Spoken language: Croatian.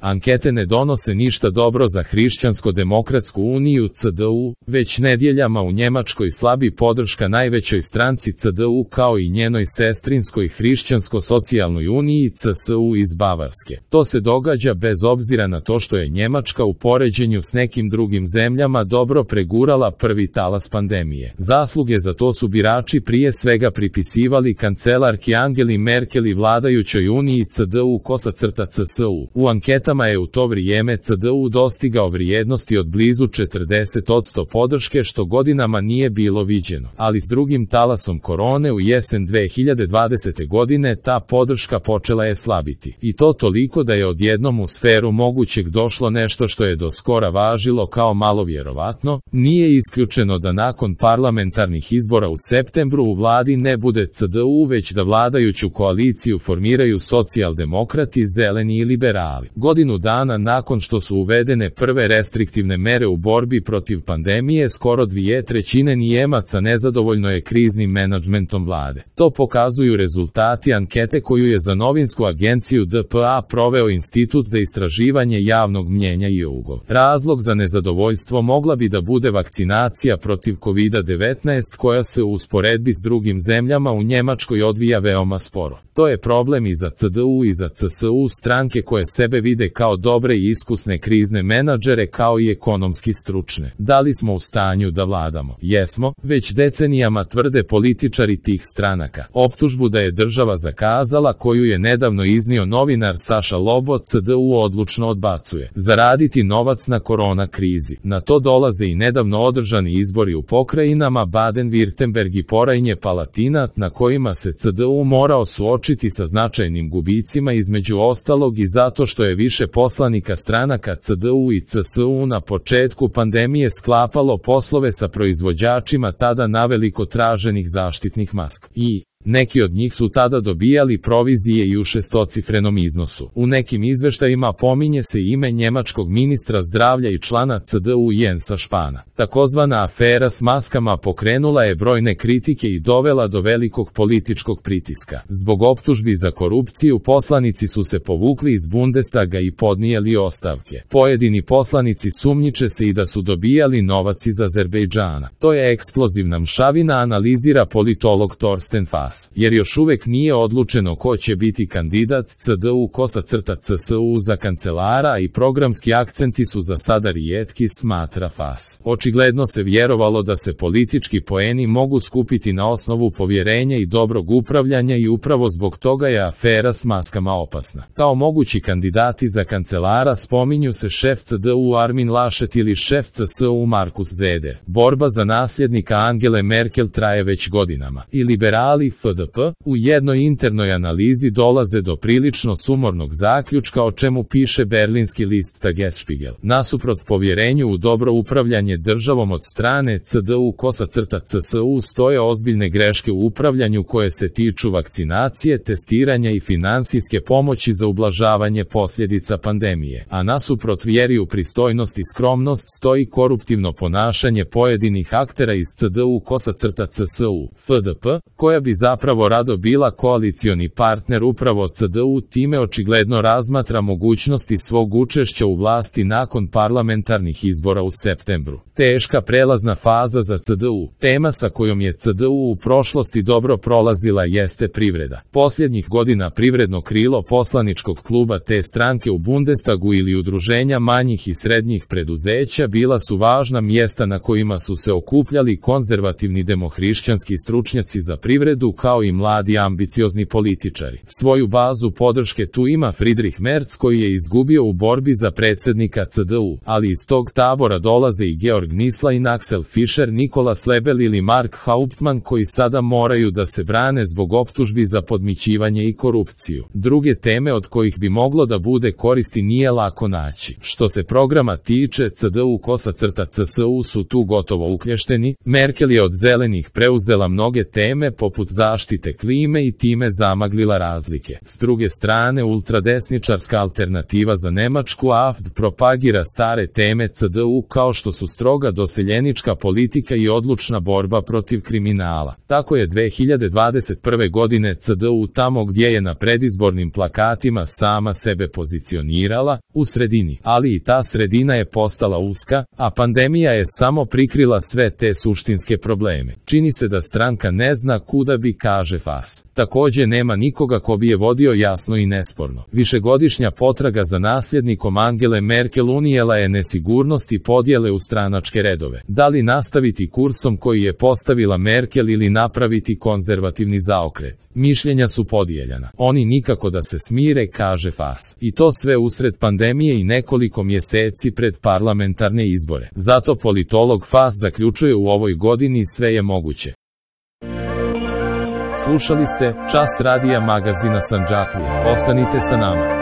Ankete ne donose ništa dobro za Hrišćansko-demokratsku uniju CDU, već nedjeljama u Njemačkoj slabi podrška najvećoj stranci CDU kao i njenoj sestrinskoj Hrišćansko-socijalnoj uniji CSU iz Bavarske. To se događa bez obzira na to što je Njemačka u poređenju s nekim drugim zemljama dobro pregurala prvi talas pandemije. Zasluge za to su birači prije svega pripisivali kancelarki Angeli Merkel i vladajućoj uniji CDU-CSU. U anketama je u to vrijeme CDU dostigao vrijednosti od blizu 40% podrške što godinama nije bilo viđeno, ali s drugim talasom korone u jesen 2020. godine ta podrška počela je slabiti. I to toliko da je odjednom u sferu mogućeg došlo nešto što je do skora važilo kao malo vjerovatno. Nije isključeno da nakon parlamentarnih izbora u septembru u vladi ne bude CDU već da vladajuću koaliciju formiraju socijaldemokrati, zeleni i liberali. Godinu dana nakon što su uvedene prve restriktivne mere u borbi protiv pandemije, skoro 2/3 Nijemaca nezadovoljno je kriznim menadžmentom vlade. To pokazuju rezultati ankete koju je za novinsku agenciju DPA proveo Institut za istraživanje javnog mnjenja YouGov. Razlog za nezadovoljstvo mogla bi da bude vakcinacija protiv COVID-19 koja se u usporedbi s drugim zemljama u Njemačkoj odvija veoma sporo. To je problem i za CDU i za CSU, stranke koje sebe vide kao dobre i iskusne krizne menadžere kao i ekonomski stručne. Da li smo u stanju da vladamo? Jesmo, već decenijama tvrde političari tih stranaka. Optužbu da je država zakazala, koju je nedavno iznio novinar Saša Lobo, CDU odlučno odbacuje. Zaraditi novac na korona krizi. Na to dolaze i nedavno održani izbori u pokrajinama Baden-Württemberg i Porajnje-Palatinat na kojima se CDU morao suočiti sa značajnim gubicima, između ostalog i zato što je više poslanika stranaka CDU i CSU na početku pandemije sklapalo poslove sa proizvođačima tada naveliko traženih zaštitnih maski. I neki od njih su tada dobijali provizije i u šestocifrenom iznosu. U nekim izveštajima pominje se ime njemačkog ministra zdravlja i člana CDU Jensa Spahna. Takozvana afera s maskama pokrenula je brojne kritike i dovela do velikog političkog pritiska. Zbog optužbi za korupciju poslanici su se povukli iz Bundestaga i podnijeli ostavke. Pojedini poslanici sumnjiče se i da su dobijali novac iz Azerbejdžana. To je eksplozivna mšavina, analizira politolog Thorsten Fass. Jer još uvek nije odlučeno ko će biti kandidat CDU-CSU za kancelara i programski akcenti su za sada rijetki, smatra Fass. Očigledno se vjerovalo da se politički poeni mogu skupiti na osnovu povjerenja i dobrog upravljanja i upravo zbog toga je afera s maskama opasna. Kao mogući kandidati za kancelara spominju se šef CDU Armin Laschet ili šef CSU Markus Söder. Borba za nasljednika Angele Merkel traje već godinama. I liberali FDP u jednoj internoj analizi dolaze do prilično sumornog zaključka, o čemu piše berlinski list Tagesspiegel. Nasuprot povjerenju u dobro upravljanje državom od strane CDU-CSU stoje ozbiljne greške u upravljanju koje se tiču vakcinacije, testiranja i finansijske pomoći za ublažavanje posljedica pandemije. A nasuprot vjeri u pristojnost i skromnost stoji koruptivno ponašanje pojedinih aktera iz CDU-CSU. FDP, koja bi zapravo rado bila koalicioni partner upravo CDU, time očigledno razmatra mogućnosti svog učešća u vlasti nakon parlamentarnih izbora u septembru. Teška prelazna faza za CDU. Tema sa kojom je CDU u prošlosti dobro prolazila jeste privreda. Posljednjih godina privredno krilo poslaničkog kluba te stranke u Bundestagu ili udruženja manjih i srednjih preduzeća bila su važna mjesta na kojima su se okupljali konzervativni demohrišćanski stručnjaci za privredu kao i mladi ambiciozni političari. Svoju bazu podrške tu ima Friedrich Merz koji je izgubio u borbi za predsjednika CDU, ali iz tog tabora dolaze i Georg Nislein, Axel Fischer, Nikola Slebel ili Mark Hauptmann koji sada moraju da se brane zbog optužbi za podmićivanje i korupciju. Druge teme od kojih bi moglo da bude koristi nije lako naći. Što se programa tiče, CDU-CSU su tu gotovo uklješteni. Merkel je od zelenih preuzela mnoge teme poput zaštite klime i time zamaglila razlike. S druge strane, ultradesničarska alternativa za Nemačku AfD propagira stare teme CDU kao što su stroga doseljenička politika i odlučna borba protiv kriminala. Tako je 2021. godine CDU tamo gdje je na predizbornim plakatima sama sebe pozicionirala, u sredini, ali i ta sredina je postala uska, a pandemija je samo prikrila sve te suštinske probleme. Čini se da stranka ne zna kuda bi, kaže FAS. Takođe nema nikoga ko bi je vodio jasno i nesporno. Višegodišnja potraga za nasljednikom Angele Merkel unijela je nesigurnost i podjele u stranačke redove. Da li nastaviti kursom koji je postavila Merkel ili napraviti konzervativni zaokret? Mišljenja su podijeljena. Oni nikako da se smire, kaže FAS. I to sve usred pandemije i nekoliko mjeseci pred parlamentarne izbore. Zato politolog FAS zaključuje u ovoj godini sve je moguće. Slušali ste Čas radija magazina Sandžaklija. Ostanite sa nama.